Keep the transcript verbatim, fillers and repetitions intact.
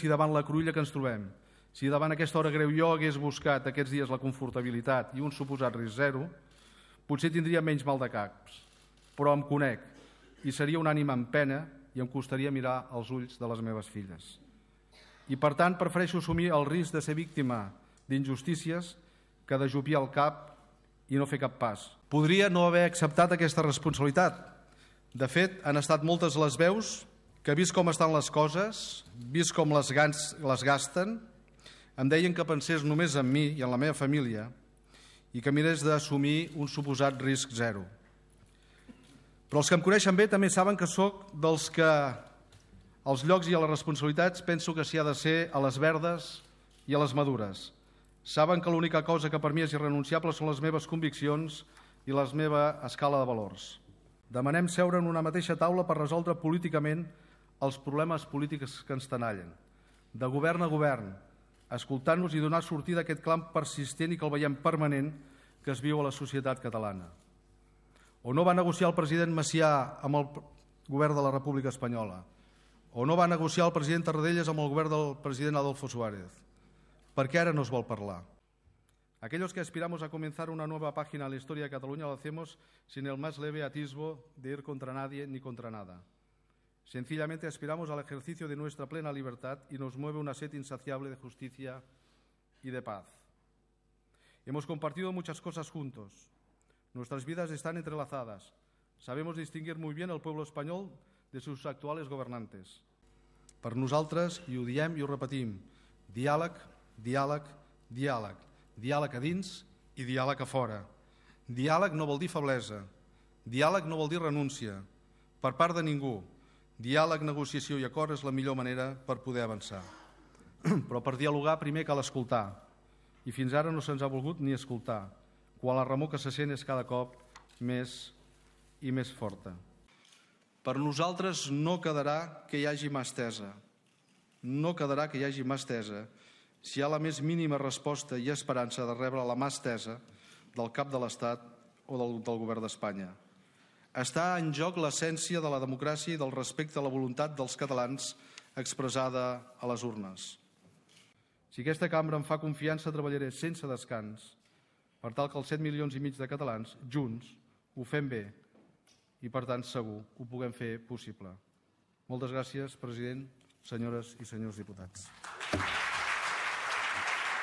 si davant la cruïlla que ens trobem, si davant aquesta hora greu jo hagués buscat aquests dies la confortabilitat i un suposat risc zero, potser tindria menys mal de caps, però em conec i seria un ànima en pena i em costaria mirar als ulls de les meves filles. I, per tant, prefereixo assumir el risc de ser víctima d'injustícies que d'ajupir el cap i no fer cap pas. Podria no haver acceptat aquesta responsabilitat. De fet, han estat moltes les veus que, vist com estan les coses, vist com les, gans, les gasten, em deien que pensés només en mi i en la meva família i que mirés d'assumir un suposat risc zero. Però els que em coneixen bé també saben que sóc dels que als llocs i a les responsabilitats penso que s'hi ha de ser a les verdes i a les madures. Saben que l'única cosa que per mi és irrenunciable són les meves conviccions i la meva escala de valors. Demanem seure en una mateixa taula per resoldre políticament els problemes polítics que ens tenallen, de govern a govern, escoltant-nos i donar sortida a aquest clam persistent i que el veiem permanent que es viu a la societat catalana. O no va negociar el president Macià amb el govern de la República Espanyola, o no va negociar el president Tarradellas amb el govern del president Adolfo Suárez. ¿Por qué ahora nos va a hablar? Aquellos que aspiramos a comenzar una nueva página en la historia de Cataluña lo hacemos sin el más leve atisbo de ir contra nadie ni contra nada. Sencillamente aspiramos al ejercicio de nuestra plena libertad y nos mueve una sed insaciable de justicia y de paz. Hemos compartido muchas cosas juntos. Nuestras vidas están entrelazadas. Sabemos distinguir muy bien al pueblo español de sus actuales gobernantes. Per nosaltres, i ho diem i ho repetim, diàleg, diàleg, diàleg. Diàleg a dins i diàleg a fora. Diàleg no vol dir feblesa. Diàleg no vol dir renúncia. Per part de ningú. Diàleg, negociació i acord és la millor manera per poder avançar. Però per dialogar primer cal escoltar. I fins ara no se'ns ha volgut ni escoltar, quan la remor que se sent és cada cop més i més forta. Per nosaltres no quedarà que hi hagi mà estesa. No quedarà que hi hagi mà estesa si hi ha la més mínima resposta i esperança de rebre la mà estesa del cap de l'Estat o del, del govern d'Espanya. Està en joc l'essència de la democràcia i del respecte a la voluntat dels catalans expressada a les urnes. Si aquesta cambra em fa confiança, treballaré sense descans per tal que els set milions i mig de catalans, junts, ho fem bé i, per tant, segur, ho puguem fer possible. Moltes gràcies, president, senyores i senyors diputats.